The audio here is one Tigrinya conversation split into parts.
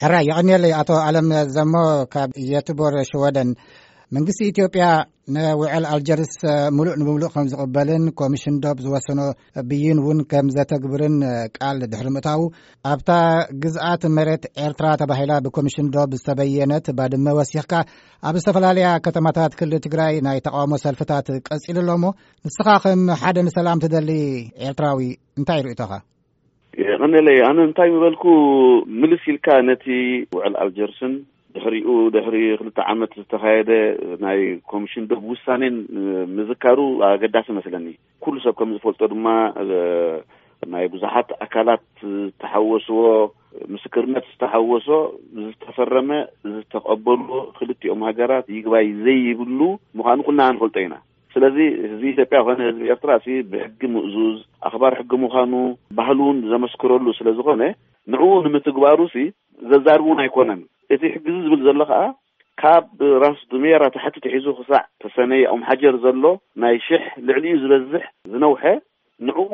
ሕራይ የቐንየለይ። ኣቶ ኣለም ዘሞ ካብ የትቦር ሽወደን። መንግስቲ ኢትዮጵያ ንውዕል ኣልጀርስ ምሉእ ንምሉእ ከም ዝቕበልን ኮሚሽን ዶብ ዝወሰኖ ብይን እውን ከም ዘተግብርን ቃል ድሕሪ ምእታዉ፣ ኣብታ ግዝኣት መሬት ኤርትራ ተባሂላ ብኮሚሽን ዶብ ዝተበየነት ባድመ ወሲኽካ፣ ኣብ ዝተፈላለያ ከተማታት ክልል ትግራይ ናይ ተቃውሞ ሰልፍታት ቀጺሉ ኣሎ። እሞ ንስኻ ከም ሓደ ንሰላም ትደሊ ኤርትራዊ እንታይ ርእቶኻ? የቐነለይ፣ ኣነ እንታይ ምበልኩ፣ ምልስ ኢልካ ነቲ ውዕል ኣልጀርስን ድሕሪኡ ድሕሪ ክልተ ዓመት ዝተኻየደ ናይ ኮሚሽን ዶብ ውሳኔን ምዝካሩ ኣገዳሲ መስለኒ። ኩሉ ሰብ ከም ዝፈልጦ ድማ ናይ ብዙሓት ኣካላት ዝተሓወስዎ፣ ምስክርነት ዝተሓወሶ፣ ዝተፈረመ፣ ዝተቐበልዎ፣ ክልቲኦም ሃገራት ይግባይ ዘይብሉ ምዃኑ ኩልና ንፈልጦ ኢና። ስለዚ ህዝቢ ኢትዮጵያ ኮነ ህዝቢ ኤርትራ ሲ ብሕጊ ምእዙዝ ኣኽባር ሕጊ ምዃኑ ባህሉ እውን ዘመስክረሉ ስለ ዝኾነ፣ ንዕኡ ንምትግባሩ ሲ ዘዛርብ እውን ኣይኮነን። እቲ ሕጊ እዚ ዝብል ዘሎ ከኣ ካብ ራስ ዱሜራ ታሕቲ ትሒዙ ክሳዕ ተሰነይ ኦም ሓጀር ዘሎ ናይ ሽሕ ልዕሊኡ ዝበዝሕ ዝነውሐ፣ ንዕኡ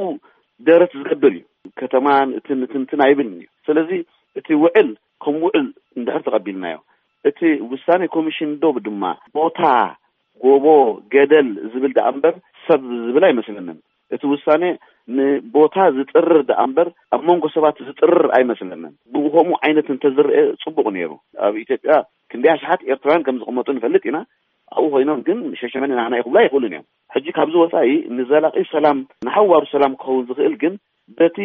ደረት ዝገብር እዩ። ከተማን እትን እትንትን ኣይብልን እዩ። ስለዚ እቲ ውዕል ከም ውዕል እንድሕር ተቐቢልናዮ፣ እቲ ውሳኔ ኮሚሽን ዶብ ድማ ቦታ፣ ጎቦ፣ ገደል ዝብል ደኣ እምበር ሰብ ዝብል ኣይመስለንን። እቲ ውሳኔ ንቦታ ዝጥርር ደኣ እምበር ኣብ መንጎ ሰባት ዝጥርር ኣይመስለንን። ብኡ ከምኡ ዓይነት እንተዝረአ ጽቡቕ ነይሩ። ኣብ ኢትዮጵያ ክንደይ ኣሽሓት ኤርትራውያን ከም ዝቕመጡ ንፈልጥ ኢና። ኣብኡ ኮይኖም ግን ሸሸመኔ ናህና እዩ ክብሉ ኣይኽእሉን እዮም። ሕጂ ካብዚ ወጻኢ ንዘላቒ ሰላም፣ ንሓዋሩ ሰላም ክኸውን ዝኽእል ግን በቲ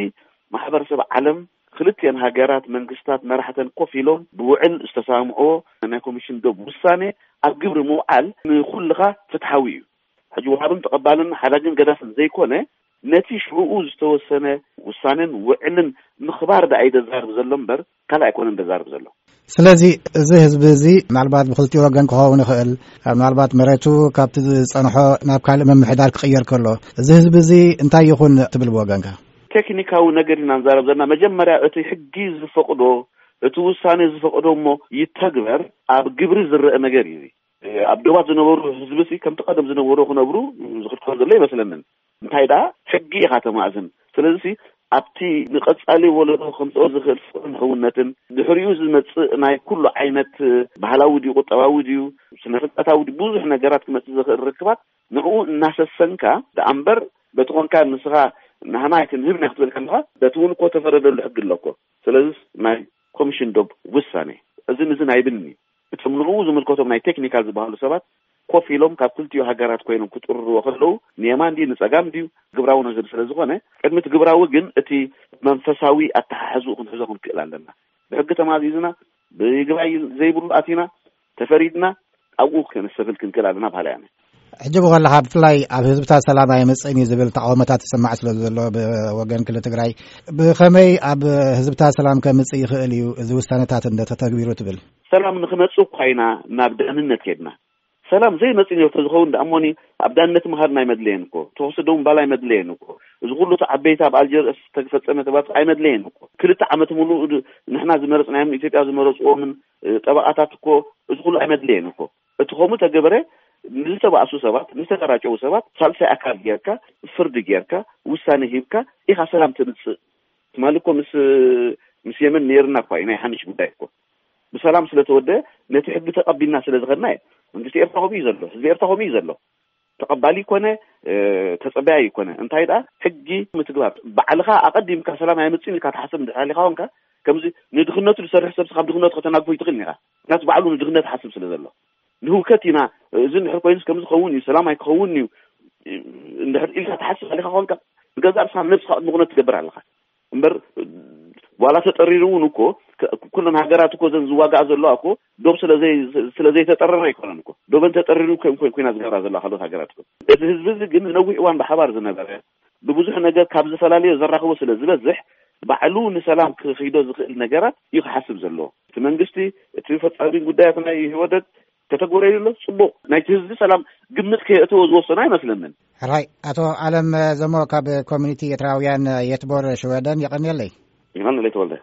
ማሕበረሰብ ዓለም፣ ክልቲአን ሃገራት መንግስታት መራሕተን ኮፍ ኢሎም ብውዕል ዝተሰማምዕዎ ናይ ኮሚሽን ዶብ ውሳኔ ኣብ ግብሪ ምውዓል ንኹልኻ ፍትሓዊ እዩ። ሕጂ ወሃብን ተቐባልን ሓዳግን ገዳፍን ዘይኮነ፣ ነቲ ሽዕኡ ዝተወሰነ ውሳኔን ውዕልን ምኽባር ደኣ እዩ ዘዛርብ ዘሎ እምበር ካልእ ኣይኮነን ዘዛርብ ዘሎ። ስለዚ እዚ ህዝቢ እዚ ምናልባት ብክልቲኡ ወገን ክኸውን ይኽእል፣ ምናልባት መሬቱ ካብቲ ዝጸንሖ ናብ ካልእ ምምሕዳር ክቕየር ከሎ፣ እዚ ህዝቢ እዚ እንታይ ይኹን ትብል ብወገንካ? ቴክኒካዊ ነገር ኢና ንዛረብ ዘለና። መጀመርያ እቲ ሕጊ ዝፈቕዶ፣ እቲ ውሳኔ ዝፈቕዶ እሞ ይተግበር፣ ኣብ ግብሪ ዝረአ ነገር እዩ። ኣብ ዶባት ዝነበሩ ህዝቢ ሲ ከምቲ ቀደም ዝነበሩ ክነብሩ ዝኽልከሎ ዘሎ ይመስለንን። እንታይ ደኣ ሕጊ ኢኻ ተማእዝን። ስለዚ ሲ ኣብቲ ንቐጻሊ ወለዶ ከምጽኦ ዝኽእል ፍቕርን ሕውነትን ድሕሪኡ ዝመጽእ ናይ ኩሉ ዓይነት ባህላዊ ድዩ ቁጠባዊ ድዩ ስነ ፍልጠታዊ ድዩ ብዙሕ ነገራት ክመጽእ ዝኽእል ርክባት ንዕኡ እናሰሰንካ ደኣ እምበር በቲ ኾንካ ንስኻ ናህና ኣይክንህብና ክትብል ከለኻ በቲ እውን እኮ ተፈረደሉ ሕጊ ኣሎ እኮ። ስለዚ ናይ ኮሚሽን ዶብ ውሳኔ እዝን እዝን ኣይብልን እዩ። እቶም ንዕኡ ዝምልከቶም ናይ ቴክኒካል ዝበሃሉ ሰባት ኮፍ ኢሎም ካብ ክልቲኡ ሃገራት ኮይኖም ክጥርርዎ ከለዉ ንየማን ድዩ ንጸጋም ድዩ ግብራዊ ነገር ስለ ዝኾነ ቅድሚ እቲ ግብራዊ ግን እቲ መንፈሳዊ ኣተሓሕዝኡ ክንሕዞ ክንክእል ኣለና። ብሕጊ ተማዚዝና ብይግባይ ዘይብሉ ኣቲና ተፈሪድና ኣብኡ ከነሰፍል ክንክእል ኣለና በሃላይ ኣነ። ሕጂ ብኸለኻ ብፍላይ ኣብ ህዝብታት ሰላም ኣይመጽእን እዩ ዝብል ተቃውሞታት ይስማዕ ስለ ዘሎ ብወገን ክልል ትግራይ ብኸመይ ኣብ ህዝብታት ሰላም ከምጽእ ይኽእል እዩ እዚ ውሳነታት እንተተግቢሩ ትብል? ሰላም ንኽመጽእ እኳ ኢና ናብ ደህንነት ከድና። ሰላም ዘይመጽእ ነይሩ ተዝኸውን ደኣ እሞኒ ኣብ ደህንነት ምኻድና ኣይመድለየን እኮ። ተኹሲ ደው ምባል ኣይመድለየን እኮ። እዚ ኩሉ እቲ ዓበይቲ ኣብ ኣልጀርስ ዝተፈጸመ ተባትሮ ኣይመድለየን እኮ። ክልተ ዓመት ሙሉእ ንሕና ዝመረጽናዮም ኢትዮጵያ ዝመረጽዎምን ጠበቓታት እኮ እዚ ኩሉ ኣይመድለየን እኮ። እቲ ከምኡ ተገበረ ንዝተባእሱ ሰባት ንዝተጋራጨዉ ሰባት ሳልሳይ ኣካል ጌርካ ፍርዲ ጌርካ ውሳኔ ሂብካ ኢኻ ሰላም ተምጽእ። ትማሊ እኮ ምስ ምስ የመን ነይርና እኳ እዩ ናይ ሓንሽ ጉዳይ እኮ ብሰላም ስለተወደ ነቲ ሕጊ ተቐቢልና ስለ ዝኸድና እዩ። መንግስቲ ኤርትራ ከምኡ እዩ ዘሎ፣ ህዝቢ ኤርትራ ከምኡ እዩ ዘሎ። ተቐባሊ ይኮነ ተጸበያይ ይኮነ እንታይ ደኣ ሕጊ ምትግባር ባዕልኻ ኣቐዲምካ ሰላም ኣይመጽእን ኢልካ ትሓስብ እንድሕር ሃሊኻ ኮንካ ከምዚ ንድኽነቱ ዝሰርሕ ሰብ ካብ ድኽነቱ ከተናግፎ ይትኽእል ኢኻ። ምክንያቱ ባዕሉ ንድኽነት ሓስብ ስለ ዘሎ ንህውከት ኢና። እዚ እንድሕር ኮይኑስ ከም ዝኸውን እዩ ሰላም ኣይክኸውን እዩ እንድሕር ኢልካ ትሓስብ ኣለካ ኮንካ ንገዛእ ርእስኻ ነብስኻ ቅድሚ ኩነት ትገብር ኣለኻ እምበር ዋላ ተጠሪሩ እውን እኮ ኩለን ሃገራት እኮ ዘን ዝዋጋኣ ዘለዋ እኮ ዶብ ስለ ዘይተጠረረ ኣይኮነን እኮ ዶበን ተጠሪሩ ኮይና ዝገብራ ዘለዋ ካልኦት ሃገራት እኮ። እዚ ህዝቢ እዚ ግን ንነዊሕ እዋን ብሓባር ዝነበረ ብብዙሕ ነገር ካብ ዝፈላለዮ ዘራኽቦ ስለ ዝበዝሕ ባዕሉ ንሰላም ክኺዶ ዝኽእል ነገራት እዩ ክሓስብ ዘለዎ። እቲ መንግስቲ እቲ ፈጻሚ ጉዳያት ናይ ህወደግ ከተግበረሉ ኣሎ ጽቡቕ ናይቲ ህዝቢ ሰላም ግምት ከየእተዎ ዝወሰኖ ኣይመስለንን። ሕራይ ኣቶ ኣለም ዘሞ ካብ ኮሚኒቲ ኤርትራውያን የትቦር ሽወደን የቐንየለይ። ይቐንለይ ተወልደ።